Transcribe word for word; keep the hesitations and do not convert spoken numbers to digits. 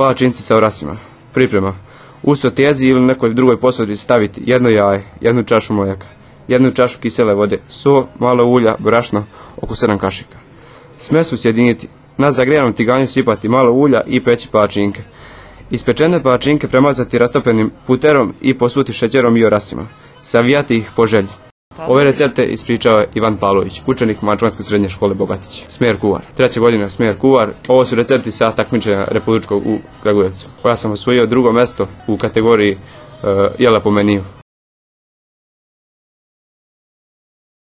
Palačinci sa orasima. Priprema. U sotezi ili nekoj drugoj posudi staviti jedno jaje, jednu čašu mlijeka, jednu čašu kisele vode, so, malo ulja, brašno, oko sedam kašika. Smesu sjediniti, na zagrijanom tiganju sipati malo ulja i peći palačinke. Ispečene palačinke premazati rastopenim puterom i posuti šećerom i orasima. Savijati ih po želji. Ove recepte ispričao je Ivan Pavlović, učenik Mačvanske srednje škole Bogatić. Smjer kuvar. Treća godina smjer kuvar. Ovo su recepti sa takmičenja republičkog u Kragujevcu. Ja sam osvojio drugo mjesto u kategoriji uh, jela po meniju.